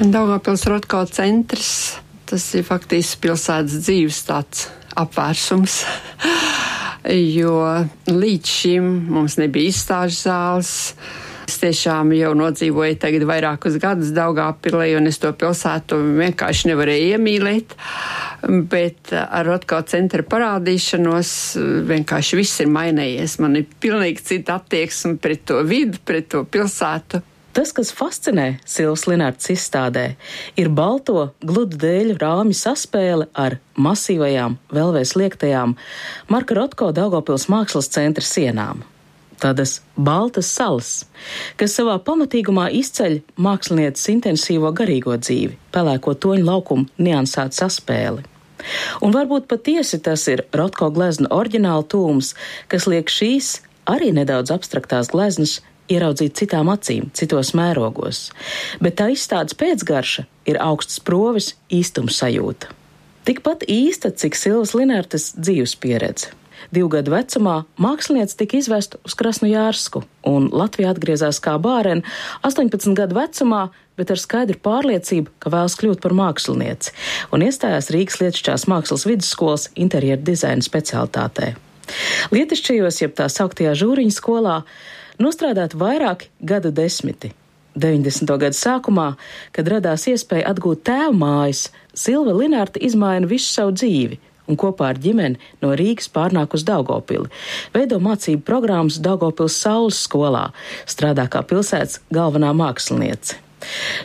Daugavpils Rotko centrs, tas ir faktiski pilsētas dzīves tāds apvērsums, jo līdz šim mums nebija izstāžu zāles. Es tiešām jau nodzīvoju tagad vairākus gadus Daugavpilī, un es to pilsētu vienkārši nevarēju iemīlēt, bet ar Rotko centra parādīšanos vienkārši viss ir mainījies. Man ir pilnīgi cita attieksme pret to vidu, pret to pilsētu. Tas, kas fascinē Silvas Linartas izstādē, ir balto gludu dēļu rāmju saspēle ar masīvajām, vēlvēs liektajām Marka Rotko Daugavpils mākslas centra sienām. Tādas baltas salas, kas savā pamatīgumā izceļ mākslinieces intensīvo garīgo dzīvi, pelēko toņu laukumu niansētu saspēli. Un varbūt patiesi tas ir Rotko gleznu oriģināla tūms, kas liek šīs arī nedaudz abstraktās gleznas ieraudzīt citām acīm, citos mērogos. Bet tā izstādes pēcgarša ir augsts provis īstums sajūta. Tikpat īsta, cik Silvas Linartas dzīves pieredze. 2 gadu vecumā māksliniece tika izvesta uz Krasnojarsku, un Latvijā atgriezās kā bērene 18 gadu vecumā, bet ar skaidru pārliecību, ka vēlas kļūt par mākslinieci, un iestājās Rīgas Lietišķās mākslas vidusskolas interjeru dizaina specialitātē. Lietišķajos, jeb tā sauktajā Žūriņa skolā, nostrādāt vairāki gadu desmiti. 90. gadu sākumā, kad radās iespēja atgūt tēva mājas, Silva Linarta izmaina visu savu dzīvi un kopā ar ģimeni no Rīgas pārnāk uz Daugavpili. Veido mācību programmas Daugavpils Saules skolā, strādā kā pilsētas galvenā māksliniece.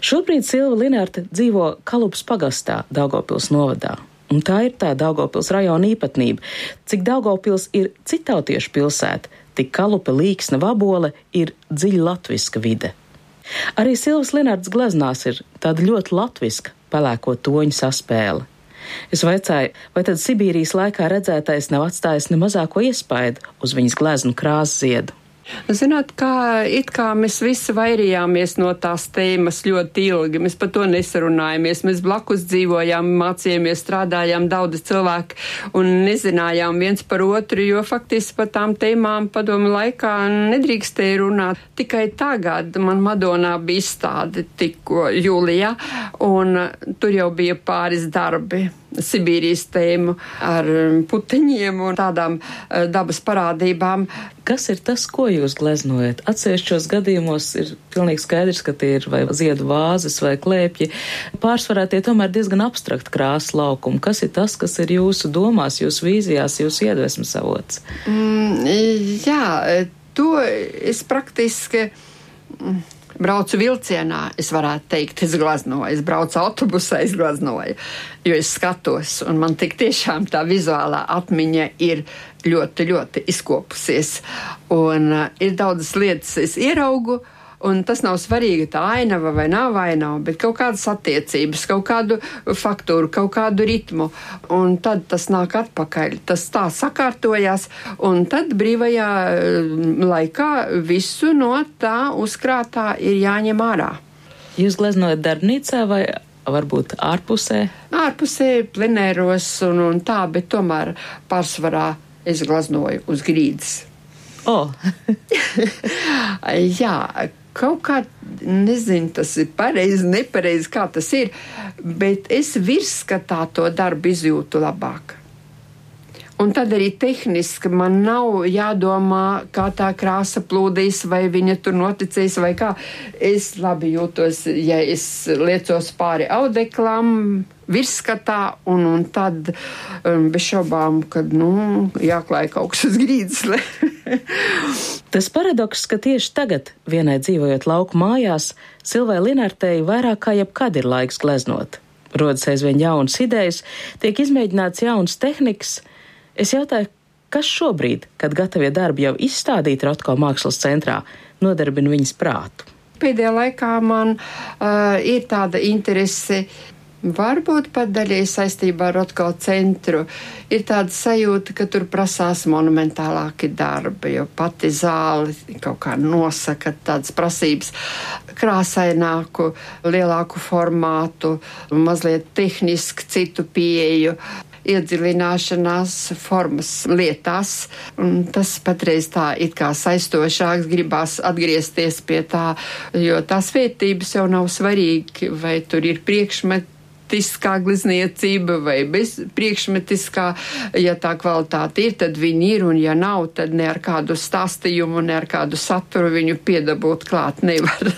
Šobrīd Silva Linarta dzīvo Kalupas pagastā Daugavpils novadā. Un tā ir tā Daugavpils rajona īpatnība. Cik Daugavpils ir citautiešu pilsēta, tik Kalupa, Līksna, Vabole ir dziļi latviska vide. Arī Silvas Linartas gleznās ir tāda ļoti latviska pelēko toņu saspēle. Es vaicāju, vai tad Sibīrijas laikā redzētais nav atstājis ne mazāko iespaidu uz viņas gleznu krāsu ziedu? Zināt, it kā mēs visi vairījāmies no tās tēmas ļoti ilgi, mēs par to nesarunājāmies, mēs blakus dzīvojām, mācījāmies, strādājām daudz cilvēku un nezinājām viens par otru, jo faktiski par tām tēmām padomu laikā nedrīkstēja runāt. Tikai tagad man Madonā bija izstāde tikko jūlijā, un tur jau bija pāris darbi. Sibīrijas tēmu ar puteņiem un tādām dabas parādībām. Kas ir tas, ko jūs gleznojat? Atsevišķos gadījumos ir pilnīgi skaidrs, ka tie ir vai ziedu vāzes vai klēpji. Pārsvarā tie tomēr diezgan abstrakt krāsas laukumi. Kas ir tas, kas ir jūsu domās, jūsu vīzijās, jūsu iedvesmas avots? Jā, to es praktiski braucu vilcienā, es varētu teikt, es gleznoju. Es braucu autobusā, es gleznoju, jo es skatos, un man tik tiešām tā vizuālā atmiņa ir ļoti, ļoti izkopusies. Un ir daudzas lietas, es ieraugu, un tas nav svarīgi, tā ainava vai nav ainava, bet kaut kādas attiecības, kaut kādu faktūru, kaut kādu ritmu, un tad tas nāk atpakaļ. Tas tā sakārtojās, un tad brīvajā laikā visu no tā uzkrātā ir jāņem ārā. Jūs gleznojat darbnīcā vai varbūt ārpusē? Ārpusē, plenēros un tā, bet tomēr pārsvarā es gleznoju uz grīdas. Jā, kaut kā, nezinu, tas ir pareizi, nepareizi, kā tas ir, bet es virsskatā to darbu izjūtu labāk. Un tad arī tehniski man nav jādomā, kā tā krāsa plūdīs, vai viņa tur noticīs, vai kā. Es labi jūtos, ja es liecos pāri audeklam, virsskatā, un tad bez šaubām, kad, jāklāj kaut kas uz grīdas. Tas paradoks, ka tieši tagad, vienai dzīvojot lauku mājās, Silvai Linartei vairāk kā jebkad ir laiks gleznot. Rodas aizvien jaunas idejas, tiek izmēģināts jaunas tehnikas. Es jautāju, kas šobrīd, kad gatavie darbi jau izstādīti Rotko mākslas centrā, nodarbina viņas prātu? Pēdējā laikā man ir tāda interese, varbūt pat daļai saistībā ar Rotko centru, ir tāda sajūta, ka tur prasās monumentālāki darbi, jo pati zāle kaut kā nosaka tādas prasības, krāsaināku, lielāku formātu, mazliet tehniski citu pieeju. iedziļināšanās formas lietās. Un tas patreiz tā it kā saistošāks, gribās atgriezties pie tā, jo tās vērtības jau nav svarīgi, vai tur ir priekšmetiskā glezniecība vai bez priekšmetiskā. Ja tā kvalitāte ir, tad viņi ir, un ja nav, tad ne ar kādu stāstījumu, ne ar kādu saturu viņu piedabūt klāt nevar.